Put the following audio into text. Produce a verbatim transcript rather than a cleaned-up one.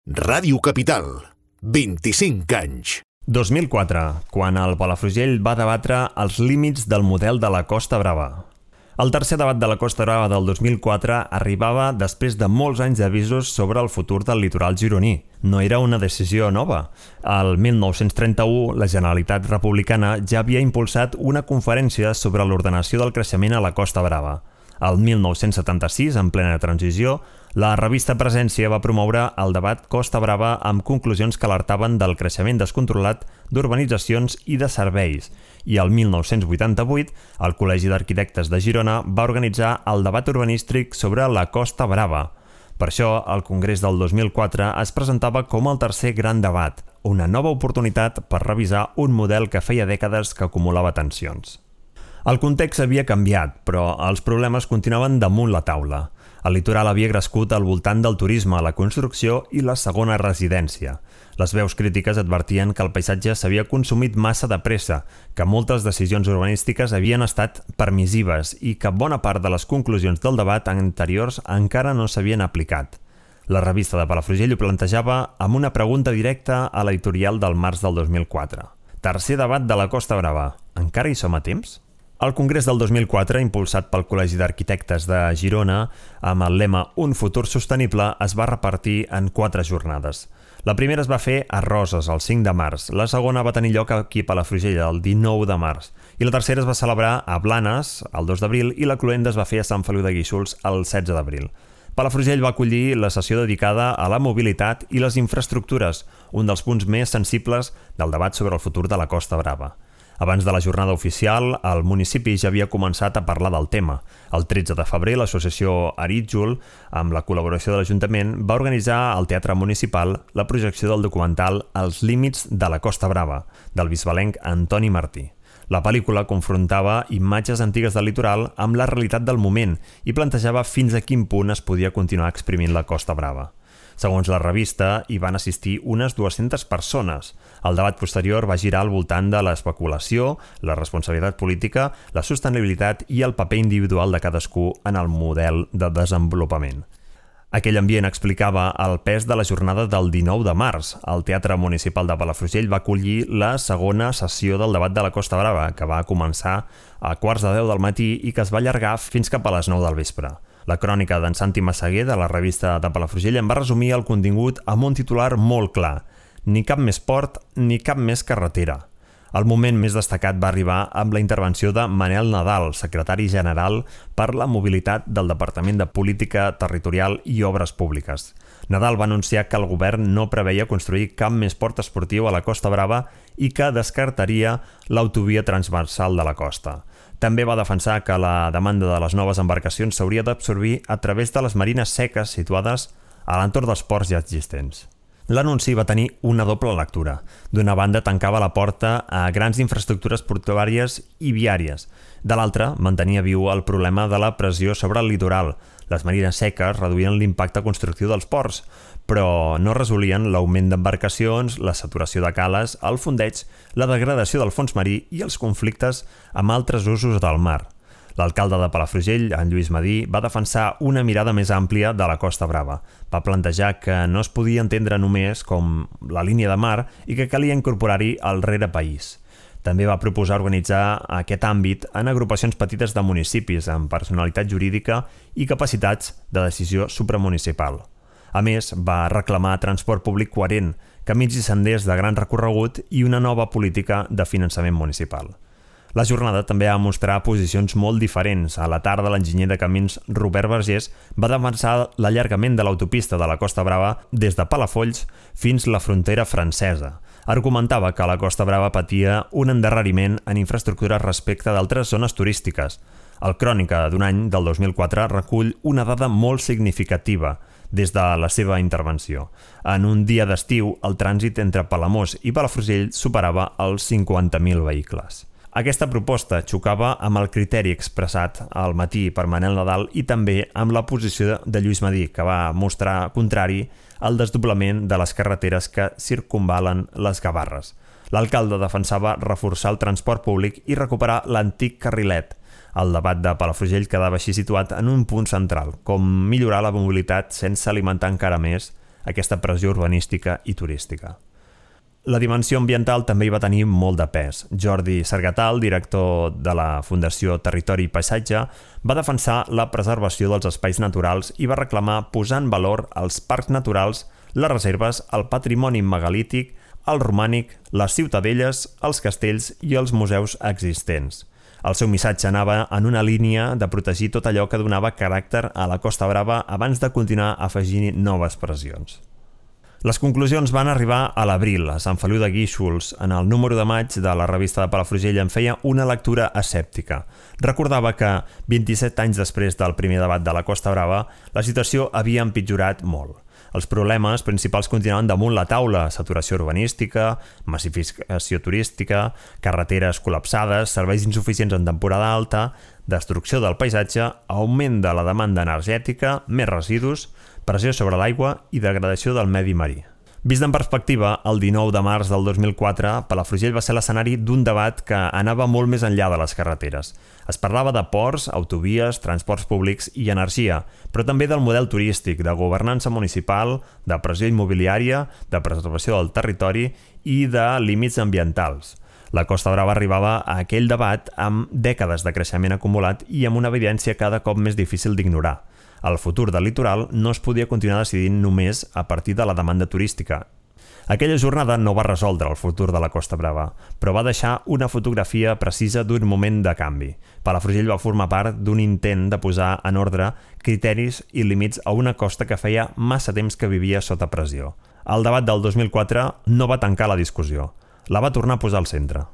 Ràdio Capital, vint-i-cinc anys. dos mil quatre, quan el Palafrugell va debatre els límits del model de la Costa Brava. El tercer debat de la Costa Brava del dos mil quatre arribava després de molts anys d'avisos sobre el futur del litoral gironí. No era una decisió nova. El mil nou-cents trenta-u, la Generalitat Republicana ja havia impulsat una conferència sobre l'ordenació del creixement a la Costa Brava. El mil nou-cents setanta-sis, en plena transició, la revista Presència va promoure el debat Costa Brava amb conclusions que alertaven del creixement descontrolat d'urbanitzacions i de serveis. I el mil nou-cents vuitanta-vuit, el Col·legi d'Arquitectes de Girona va organitzar el debat urbanístic sobre la Costa Brava. Per això, el Congrés del dos mil quatre es presentava com el tercer gran debat, una nova oportunitat per revisar un model que feia dècades que acumulava tensions. El context havia canviat, però els problemes continuaven damunt la taula. El litoral havia crescut al voltant del turisme, la construcció i la segona residència. Les veus crítiques advertien que el paisatge s'havia consumit massa de pressa, que moltes decisions urbanístiques havien estat permissives i que bona part de les conclusions del debat anteriors encara no s'havien aplicat. La revista de Palafrugell ho plantejava amb una pregunta directa a l'editorial del març del dos mil quatre. Tercer debat de la Costa Brava. Encara hi som a temps? El Congrés del dos mil quatre, impulsat pel Col·legi d'Arquitectes de Girona, amb el lema Un futur sostenible, es va repartir en quatre jornades. La primera es va fer a Roses, el cinc de març, la segona va tenir lloc aquí a Palafrugell, el dinou de març, i la tercera es va celebrar a Blanes, el dos d'abril, i la cloenda es va fer a Sant Feliu de Guíxols, el setze d'abril. Palafrugell va acollir la sessió dedicada a la mobilitat i les infraestructures, un dels punts més sensibles del debat sobre el futur de la Costa Brava. Abans de la jornada oficial, el municipi ja havia començat a parlar del tema. El tretze de febrer, l'associació Arítjol, amb la col·laboració de l'Ajuntament, va organitzar al Teatre Municipal la projecció del documental Els límits de la Costa Brava, del bisbalenc Antoni Martí. La pel·lícula confrontava imatges antigues del litoral amb la realitat del moment i plantejava fins a quin punt es podia continuar exprimint la Costa Brava. Segons la revista, hi van assistir unes dues-centes persones. El debat posterior va girar al voltant de l'especulació, la responsabilitat política, la sostenibilitat i el paper individual de cadascú en el model de desenvolupament. Aquell ambient explicava el pes de la jornada del dinou de març. El Teatre Municipal de Palafrugell va acollir la segona sessió del debat de la Costa Brava, que va començar a quarts de deu del matí i que es va allargar fins cap a les nou del vespre. La crònica d'en Santi Massaguer, de la revista de Palafrugell, en va resumir el contingut amb un titular molt clar: ni cap més port, ni cap més carretera. El moment més destacat va arribar amb la intervenció de Manel Nadal, secretari general per la mobilitat del Departament de Política Territorial i Obres Públiques. Nadal va anunciar que el govern no preveia construir cap més port esportiu a la Costa Brava i que descartaria l'autovia transversal de la costa. També va defensar que la demanda de les noves embarcacions s'hauria d'absorbir a través de les marines seques situades a l'entorn dels ports ja existents. L'anunci va tenir una doble lectura. D'una banda, tancava la porta a grans infraestructures portuàries i viàries. De l'altra, mantenia viu el problema de la pressió sobre el litoral. Les marines seques reduïen l'impacte constructiu dels ports, però no resolien l'augment d'embarcacions, la saturació de cales, el fondeig, la degradació del fons marí i els conflictes amb altres usos del mar. L'alcalde de Palafrugell, en Lluís Madí, va defensar una mirada més àmplia de la Costa Brava. Va plantejar que no es podia entendre només com la línia de mar i que calia incorporar-hi el rerepaís. També va proposar organitzar aquest àmbit en agrupacions petites de municipis amb personalitat jurídica i capacitats de decisió supramunicipal. A més, va reclamar transport públic coherent, camins i senders de gran recorregut i una nova política de finançament municipal. La jornada també va mostrar posicions molt diferents. A la tarda, l'enginyer de camins Robert Vergés va defensar l'allargament de l'autopista de la Costa Brava des de Palafolls fins la frontera francesa. Argumentava que la Costa Brava patia un endarreriment en infraestructures respecte d'altres zones turístiques. El Crònica d'un any, del dos mil quatre, recull una dada molt significativa des de la seva intervenció. En un dia d'estiu, el trànsit entre Palamós i Palafrugell superava els cinquanta mil vehicles. Aquesta proposta xocava amb el criteri expressat al matí per Manel Nadal i també amb la posició de Lluís Madí, que va mostrar contrari al desdoblament de les carreteres que circumvalen les Gavarres. L'alcalde defensava reforçar el transport públic i recuperar l'antic carrilet. El debat de Palafrugell quedava així situat en un punt central, com millorar la mobilitat sense alimentar encara més aquesta pressió urbanística i turística. La dimensió ambiental també hi va tenir molt de pes. Jordi Sargatal, director de la Fundació Territori i Paisatge, va defensar la preservació dels espais naturals i va reclamar posar en valor els parcs naturals, les reserves, el patrimoni megalític, el romànic, les ciutadelles, els castells i els museus existents. El seu missatge anava en una línia de protegir tot allò que donava caràcter a la Costa Brava abans de continuar afegint noves pressions. Les conclusions van arribar a l'abril. A Sant Feliu de Guíxols, en el número de maig de la revista de Palafrugell, en feia una lectura escèptica. Recordava que, vint-i-set anys després del primer debat de la Costa Brava, la situació havia empitjorat molt. Els problemes principals continuaven damunt la taula: saturació urbanística, massificació turística, carreteres col·lapsades, serveis insuficients en temporada alta, destrucció del paisatge, augment de la demanda energètica, més residus, pressió sobre l'aigua i degradació del medi marí. Vist en perspectiva, el dinou de març del dos mil quatre, Palafrugell va ser l'escenari d'un debat que anava molt més enllà de les carreteres. Es parlava de ports, autovies, transports públics i energia, però també del model turístic, de governança municipal, de pressió immobiliària, de preservació del territori i de límits ambientals. La Costa Brava arribava a aquell debat amb dècades de creixement acumulat i amb una evidència cada cop més difícil d'ignorar. El futur del litoral no es podia continuar decidint només a partir de la demanda turística. Aquella jornada no va resoldre el futur de la Costa Brava, però va deixar una fotografia precisa d'un moment de canvi. Palafrugell va formar part d'un intent de posar en ordre criteris i límits a una costa que feia massa temps que vivia sota pressió. El debat del dos mil quatre no va tancar la discussió, la va tornar a posar al centre.